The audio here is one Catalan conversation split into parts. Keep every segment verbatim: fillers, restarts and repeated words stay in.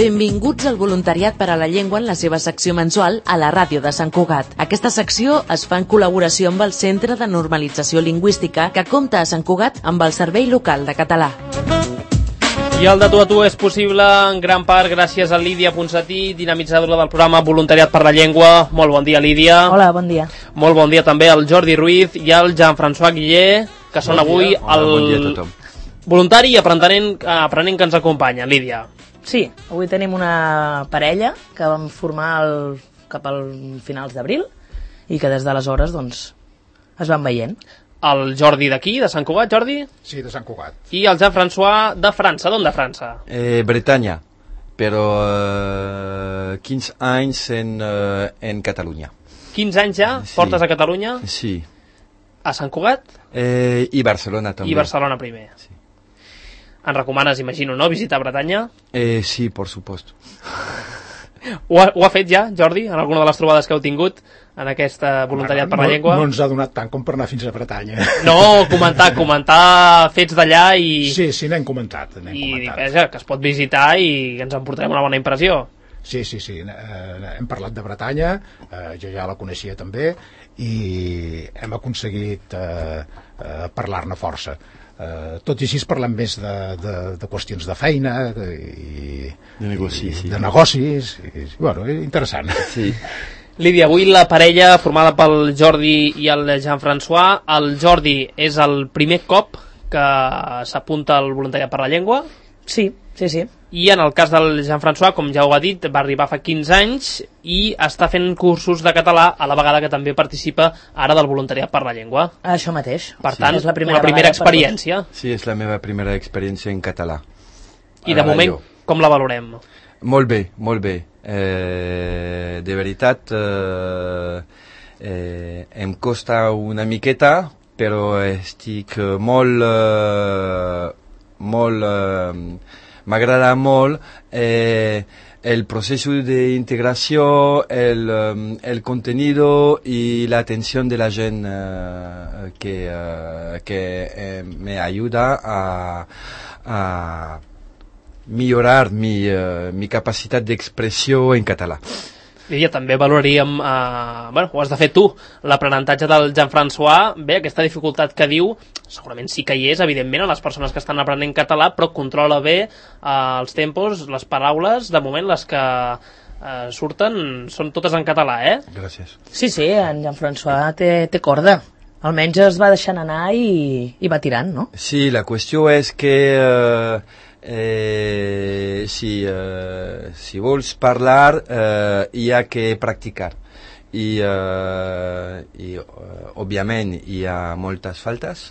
Benvinguts al Voluntariat per a la Llengua en la seva secció mensual a la ràdio de Sant Cugat. Aquesta secció es fa en col·laboració amb el Centre de Normalització Lingüística que compta a Sant Cugat amb el Servei Local de Català. I el de tu a tu és possible en gran part gràcies a Lídia Ponsatí, dinamitzadora del programa Voluntariat per la Llengua. Molt bon dia, Lídia. Hola, bon dia. Molt bon dia també al Jordi Ruiz i al Jean-François Guillé, que són bon avui el bon voluntari i aprenent, aprenent que ens acompanya, Lídia. Sí, avui tenim una parella que vam formar el, cap al finals d'abril i que des d'aleshores doncs, es van veient. El Jordi d'aquí, de Sant Cugat, Jordi? Sí, de Sant Cugat. I el Jean-François de França. D'on de França? Eh, Bretanya, però eh, quinze anys en, eh, en Catalunya. quinze anys ja? Sí. Portes a Catalunya? Sí. A Sant Cugat? Eh, I Barcelona també. I Barcelona primer. Sí. Ens recomanes, imagino, no?, visitar Bretanya? Eh, sí, por supuesto. Ho ha, ho ha fet ja, Jordi, en alguna de les trobades que heu tingut en aquesta voluntariat bueno, per la no, llengua? No ens ha donat tant com per anar fins a Bretanya. No, comentar, comentar fets d'allà i... Sí, sí, n'hem comentat. N'hem I comentat. vaja, que es pot visitar i ens en portarem una bona impressió. Sí, sí, sí, eh, hem parlat de Bretanya, eh, jo ja la coneixia també, i hem aconseguit eh, eh, parlar-ne força. Uh, tot i així parlem més de, de, de qüestions de feina de, i, de negocis, i, sí. de negocis i, bueno, interessant. Sí. Lídia, avui la parella formada pel Jordi i el Jean-François. El Jordi és el primer cop que s'apunta al voluntariat per la llengua. Sí, sí, sí. I en el cas del Jean-François, com ja ho ha dit, va arribar fa quinze anys i està fent cursos de català a la vegada que també participa ara del voluntariat per la llengua. Això mateix. Per Sí. tant, És la primera una primera experiència. Sí, és la meva primera experiència en català. I de moment, com la valorem? Molt bé, molt bé. Eh, de veritat, eh, eh, em costa una miqueta, però estic molt... Eh, molt... Eh, m'agrada molt eh, el procés d'integració, el, el contenido y la atención de la gent eh, que, eh, que eh, me ayuda a, a millorar mi, eh, mi capacitat d'expressió en català. Lídia, també valoraríem, eh, bueno, ho has de fer tu, l'aprenentatge del Jean-François. Bé, aquesta dificultat que diu, segurament sí que hi és, evidentment, a les persones que estan aprenent català, però controla bé eh, els tempos, les paraules. De moment, les que eh, surten són totes en català, eh? Gràcies. Sí, sí, en Jean-François té, té corda. Almenys es va deixant anar i, i va tirant, no? Sí, la qüestió és que... Eh, Eh, si, eh, si vols parlar eh, hi ha que practicar i, eh, i eh, òbviament hi ha moltes faltes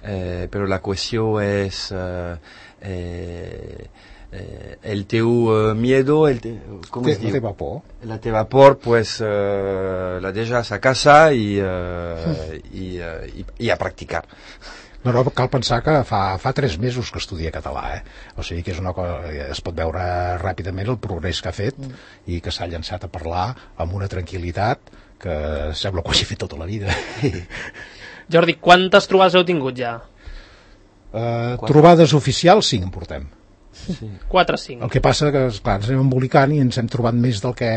eh, però la qüestió és eh, eh, eh, el teu eh, miedo el te, com es la diu? teva por la teva por pues eh, la deixes a casa i, eh, i, eh, i, i a practicar. No, no, cal pensar que fa, fa tres mesos que estudia català, eh? O sigui que és una cosa, es pot veure ràpidament el progrés que ha fet mm. i que s'ha llançat a parlar amb una tranquil·litat que sembla que ho hagi fet tota la vida. Jordi, quantes trobades heu tingut ja? Uh, trobades oficials, cinc en portem. Sí. quatre o cinc. El que passa que, esclar, ens anem embolicant i ens hem trobat més del que,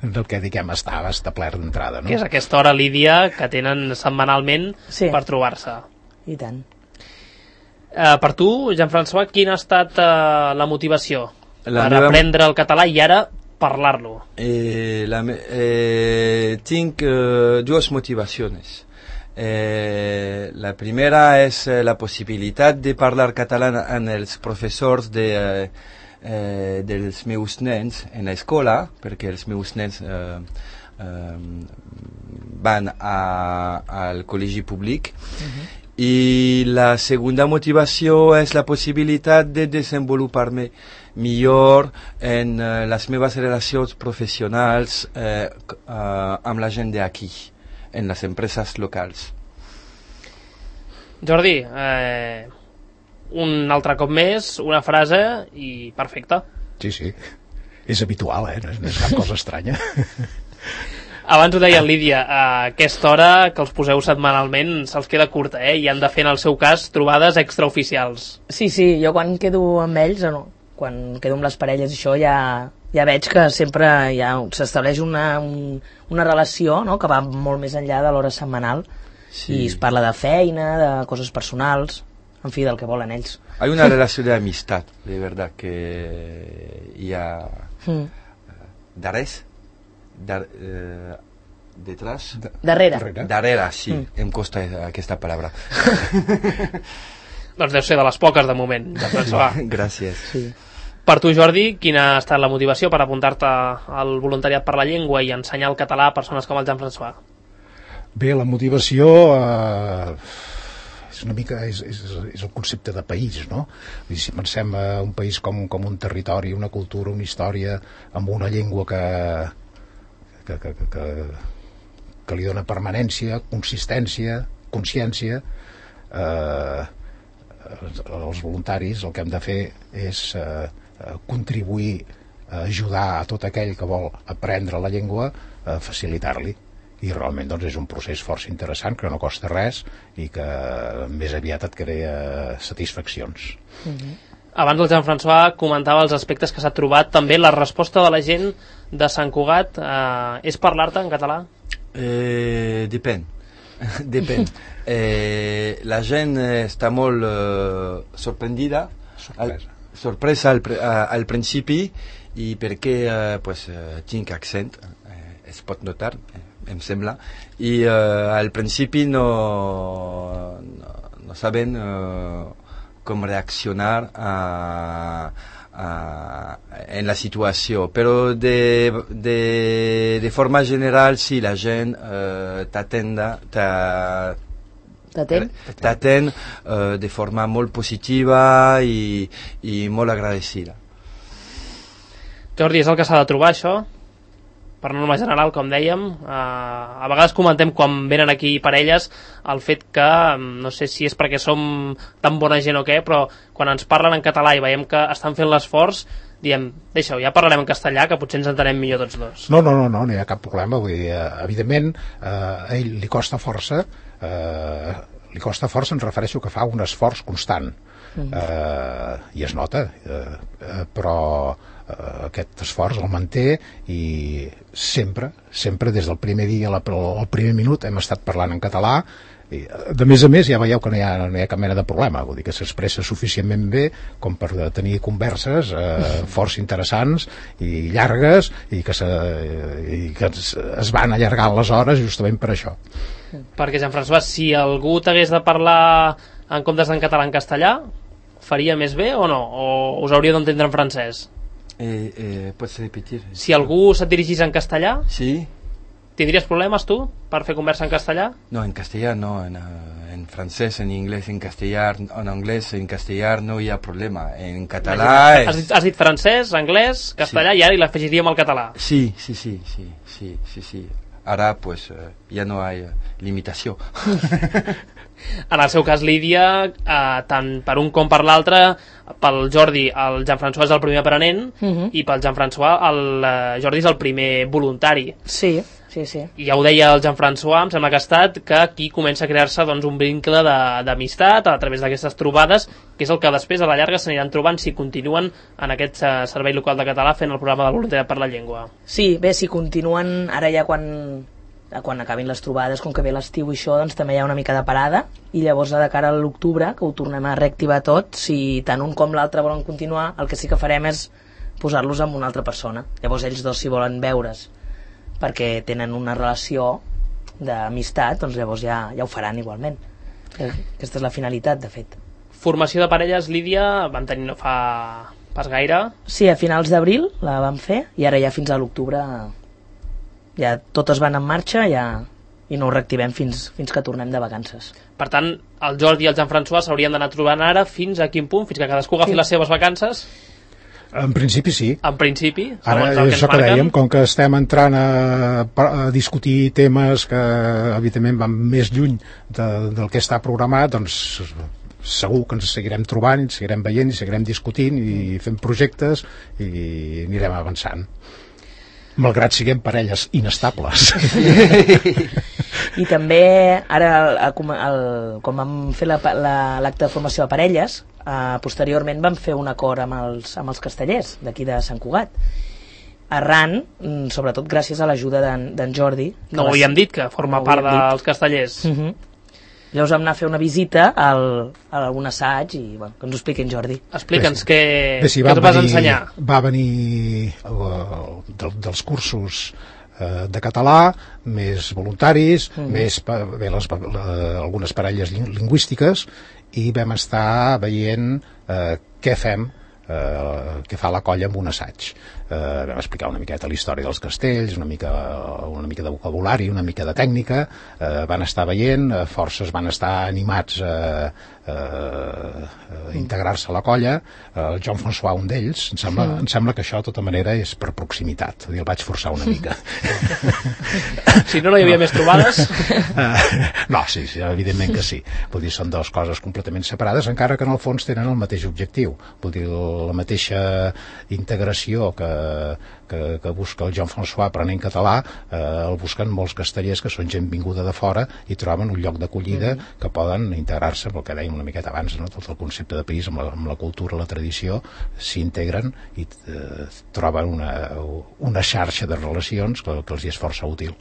del que diguem, estava establert d'entrada, no? Que és aquesta hora, Lídia, que tenen setmanalment sí. per trobar-se. I tant. Uh, per tu, Jean-François, quina ha estat uh, la motivació la per meva... aprendre el català i ara parlar-lo? Eh, la, eh, tinc eh, dues motivacions. Eh, la primera és eh, la possibilitat de parlar català amb els professors de, eh, eh, dels meus nens en l'escola, perquè els meus nens eh, eh, van a, al col·legi públic. Uh-huh. I la segunda motivació és la possibilitat de desenvolupar-me millor en uh, les meves relacions professionals eh, uh, amb la gent d'aquí, en les empreses locals. Jordi, eh, un altre cop més, una frase i perfecte. Sí, sí, és habitual, eh? No és, no és cap cosa estranya. Abans ho deia en Lídia, a aquesta hora que els poseu setmanalment se'ls queda curta, eh? I han de fer, en el seu cas, trobades extraoficials. Sí, sí, jo quan quedo amb ells, no, quan quedo amb les parelles i això ja, ja veig que sempre ja s'estableix una, un, una relació, no?, que va molt més enllà de l'hora setmanal. Sí. I es parla de feina, de coses personals, en fi, del que volen ells. Hay una relación de amistad, de verdad, que hi ha mm. darrers, dar, eh, detrás... Darrere. Darrere, sí, mm. em costa aquesta paraula. Doncs deu ser de les poques de moment. Gràcies. Sí. Per tu, Jordi, quina ha estat la motivació per apuntar-te al voluntariat per la llengua i ensenyar el català a persones com el Jean-François? Bé, la motivació eh, és una mica és, és, és el concepte de país, no? I si pensem en un país com, com un territori, una cultura, una història, amb una llengua que, que, que, que, que, que li dona permanència, consistència, consciència, eh, els voluntaris el que hem de fer és eh, contribuir a ajudar a tot aquell que vol aprendre la llengua a facilitar-li. I realment doncs, és un procés força interessant que no costa res i que més aviat et crea satisfaccions. Mm-hmm. Abans el Jean-François comentava els aspectes que s'ha trobat. També la resposta de la gent de Sant Cugat eh, és parlar-te en català? Eh, depèn. Depèn. Eh, la gent està molt eh, sorprendida, sorpresa, al, sorpresa al, al principi, i perquè eh, pues, eh, tinc accent, eh, es pot notar, eh, em sembla, i uh, al principi no, no, no saben uh, com reaccionar a, a, en la situació, però de, de, de forma general sí, la gent uh, t'atenda, t'atén t'atén uh, de forma molt positiva i, i molt agradecida. Jordi, és el que s'ha de trobar, això? Per norma general, com dèiem, eh, a vegades comentem quan venen aquí parelles el fet que, no sé si és perquè som tan bona gent o què, però quan ens parlen en català i veiem que estan fent l'esforç, diem, deixa-ho, ja parlarem en castellà, que potser ens entenem millor tots dos. No, no, no, no, no hi ha cap problema. Vull dir, evidentment, eh, a ell li costa força, eh, li costa força, ens refereixo que fa un esforç constant, eh, i es nota, eh, eh, però Uh, aquest esforç el manté i sempre, sempre des del primer dia al primer minut hem estat parlant en català i, de més a més ja veieu que no hi ha, no hi ha cap mena de problema, vull dir que s'expressa suficientment bé com per tenir converses eh, força interessants i llargues i que, se, i que es, es van allargant les hores justament per això. Perquè, Jean-François, si algú t'hagués de parlar en comptes en català en castellà, faria més bé o no? O us hauríeu d'entendre en francès? Eh, eh, ¿Puedes repetir? Si algú se't dirigís en castellà, sí. ¿Tindries problemes tu per fer conversa en castellà? No, en castellà no, en, en francès, en anglès, en castellà, en anglès, en castellà no hi ha problema. En català... És... Has, dit, has dit francès, anglès, castellà, sí. I ara hi l'afegiríem al català. Sí, sí, sí, sí, sí, sí, sí. Ara, pues, eh, ja no hi ha limitació. En el seu cas, Lídia, eh, tant per un com per l'altre, pel Jordi el Jean-François és el primer aprenent, uh-huh. i pel Jean-François el eh, Jordi és el primer voluntari. Sí, sí, sí. I ja ho deia el Jean-François, em sembla que ha estat, que aquí comença a crear-se doncs, un vincle d'amistat a través d'aquestes trobades, que és el que després a la llarga s'aniran trobant si continuen en aquest eh, servei local de català fent el programa de voluntariat per la llengua. Sí, bé, si continuen ara ja quan... quan acabin les trobades, com que ve l'estiu i això, doncs també hi ha una mica de parada, i llavors de cara a l'octubre, que ho tornem a reactivar tot, si tant un com l'altre volen continuar, el que sí que farem és posar-los amb una altra persona. Llavors ells dos, si volen veure's perquè tenen una relació d'amistat, doncs llavors ja, ja ho faran igualment. Aquesta és la finalitat, de fet. Formació de parelles, Lídia, van tenir no fa pas gaire? Sí, a finals d'abril la vam fer, i ara ja fins a l'octubre ja totes van en marxa, ja, i no ho reactivem fins, fins que tornem de vacances. Per tant, el Jordi i el Jean-François s'haurien d'anar trobant ara fins a quin punt? Fins que cadascú agafi sí. les seves vacances? En principi sí. En principi? Ara és el que dèiem, com que estem entrant a, a discutir temes que evidentment van més lluny de, del que està programat, doncs segur que ens seguirem trobant, ens seguirem veient i seguirem discutint i fent projectes i anirem avançant. Malgrat siguem parelles inestables. I també, ara, el, el, el, quan vam fer l'acte la, la, de formació de parelles, eh, posteriorment vam fer un acord amb els, amb els castellers d'aquí de Sant Cugat. Arran, sobretot gràcies a l'ajuda d'en Jordi. No ho havíem dit, que forma no part dels castellers. Uh -huh. Llavors vam anar a fer una visita al, a un assaig i bueno, que ens ho expliqui en Jordi. Explica'ns sí. què, Bé, sí, què ens vas ensenyar. Va venir uh, de, dels cursos uh, de català, més voluntaris, mm. més bé, les, uh, algunes parelles lingüístiques, i vam estar veient uh, què fem, uh, què fa la colla amb un assaig. Uh, vam explicar una miqueta la història dels castells, una mica, una mica de vocabulari, una mica de tècnica, uh, van estar veient, uh, forces van estar animats a, a, a integrar-se a la colla, uh, el Joan François, un d'ells, em sembla, mm. em sembla que això de tota manera és per proximitat, el vaig forçar una mica. Si no, no hi havia no. més trobades? Uh, no, sí, sí, evidentment que sí. Vull dir, són dues coses completament separades, encara que en el fons tenen el mateix objectiu. Vull dir, la mateixa integració que Que, que busca el Joan François aprenent català, eh, el busquen molts castellers que són gent vinguda de fora i troben un lloc d'acollida mm. que poden integrar-se, pel que dèiem una miqueta abans, no? Tot el concepte de país amb la, amb la cultura, la tradició, s'integren i eh, troben una, una xarxa de relacions que, que els hi és força útil.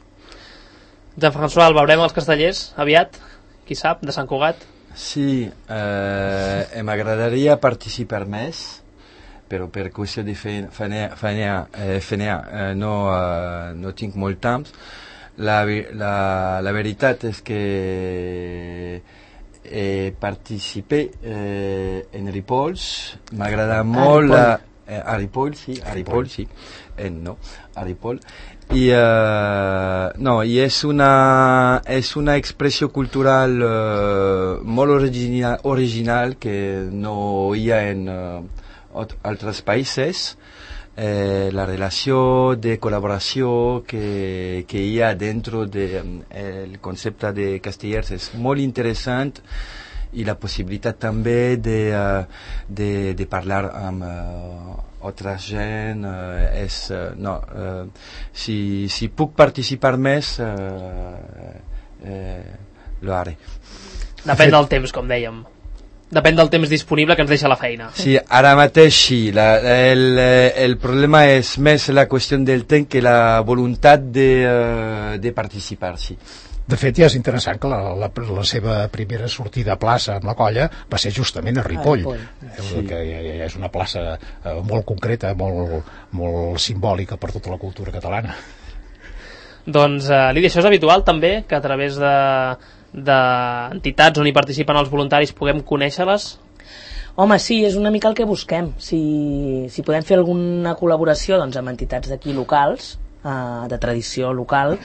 Joan François, el veurem als castellers aviat? Qui sap, de Sant Cugat? Sí, eh, m'agradaria participar més, però per qüestió de feina, feina, eh, feina eh, no, eh, no tinc molt temps. La, la, la veritat és que he participat eh, en Ripoll, m'agrada molt la, eh, a Ripoll, sí, a Ripoll, sí, eh, no, a Ripoll. I, uh, no, i és una, és una expressió cultural uh, molt original, original que no hi ha en uh, altres països. Eh, la relació de col·laboració que, que hi ha dentro del de, concepte de castellers és molt interessant, i la possibilitat també de, uh, de, de parlar amb uh, altra gent uh, és, uh, no, uh, si, si puc participar més uh, uh, lo haré. Depèn del temps, com dèiem. Depèn del temps disponible que ens deixa la feina. Sí, ara mateix sí. La, el, el problema és més la qüestió del temps que la voluntat de, uh, de participar, sí. De fet, ja és interessant que la, la, la seva primera sortida a plaça amb la colla va ser justament a Ripoll, a Ripoll. Sí. Que ja, ja és una plaça uh, molt concreta, molt, molt simbòlica per tota la cultura catalana. Doncs, uh, Lídia, això és habitual també, que a través de d'entitats on hi participen els voluntaris puguem conèixer-les? Home, sí, és una mica el que busquem. Si, si podem fer alguna col·laboració doncs, amb entitats d'aquí locals, eh, de tradició local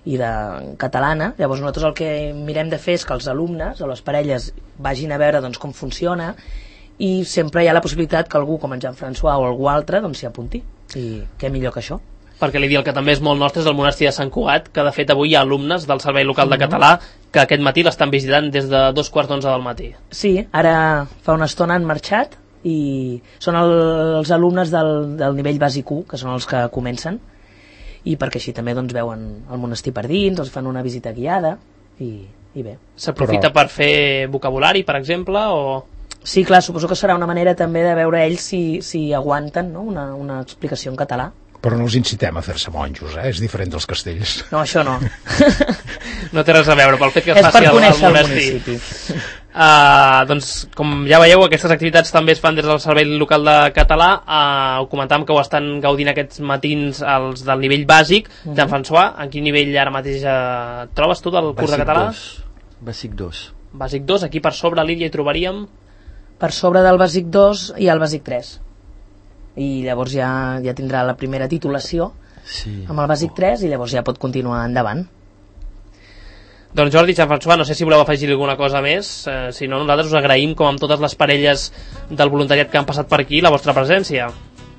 i de catalana, llavors nosaltres el que mirem de fer és que els alumnes o les parelles vagin a veure doncs, com funciona, i sempre hi ha la possibilitat que algú com en Jean-François o algú altre doncs, s'hi apunti. I què millor que això? Perquè li dic, el que també és molt nostre és el monestir de Sant Cugat, que de fet avui hi ha alumnes del Servei Local de Català que aquest matí l'estan visitant des de dos quarts d'onze del matí. Sí, ara fa una estona han marxat i són el, els alumnes del, del nivell bàsic u, que són els que comencen, i perquè així també doncs, veuen el monestir per dins, els fan una visita guiada i, i bé. S'aprofita Però... per fer vocabulari, per exemple, o...? Sí, clar, suposo que serà una manera també de veure ells si, si aguanten, no? una, una explicació en català. Però no els incitem a fer-se monjos, eh? És diferent dels castells. No, això no. No té res a veure, pel fet que es faci al, al monestir. Uh, doncs, com ja veieu, aquestes activitats també es fan des del Servei Local de Català. Uh, ho comentàvem que ho estan gaudint aquests matins els del nivell bàsic. Uh -huh. Jean-François, en quin nivell ara mateix uh, trobes tu del curs de català? Bàsic dos. Bàsic dos, aquí per sobre, Lídia, hi trobaríem? Per sobre del bàsic dos hi ha el bàsic tres. I llavors ja, ja tindrà la primera titulació sí. amb el bàsic tres i llavors ja pot continuar endavant. Doncs Jordi, Jean-François, no sé si voleu afegir alguna cosa més, eh, si no nosaltres us agraïm, com amb totes les parelles del voluntariat que han passat per aquí, la vostra presència.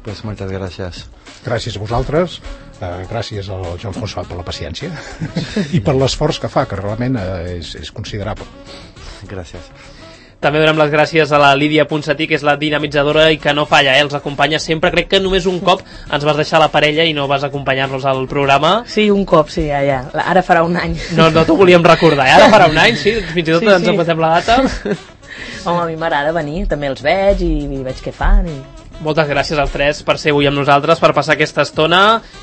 Pues moltes gràcies. Gràcies a vosaltres, eh, gràcies al Jean-François per la paciència i per l'esforç que fa, que realment eh, és, és considerable. Gràcies. També donem les gràcies a la Lídia Ponsatí, que és la dinamitzadora i que no falla, eh? Els acompanya sempre. Crec que només un cop ens vas deixar la parella i no vas acompanyar-nos al programa. Sí, un cop, sí, ja, ja. Ara farà un any. No, no t'ho volíem recordar, eh? Ara farà un any, sí, fins i tot sí, ens sí. empatem la data. Home, a mi m'agrada venir, també els veig i, i veig què fan i... Moltes gràcies als tres per ser avui amb nosaltres, per passar aquesta estona,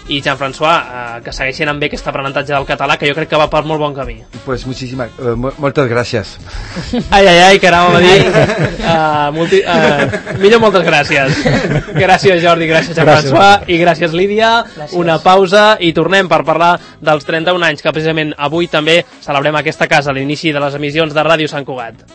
i Jean-François, eh, que segueixin amb bé aquest aprenentatge del català, que jo crec que va per molt bon camí. Pues muchísimas, uh, moltes gràcies. Ai, ai, ai, que anàvem a dir. Uh, multi, uh, millor moltes gràcies. Gràcies, Jordi, gràcies, Jean-François, i gràcies, Lídia. Gràcies. Una pausa i tornem per parlar dels trenta-un anys, que precisament avui també celebrem a aquesta casa, l'inici de les emissions de Ràdio Sant Cugat.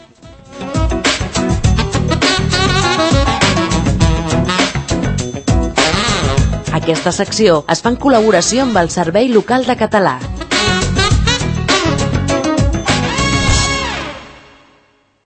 Aquesta secció es fa en col·laboració amb el Servei Local de Català.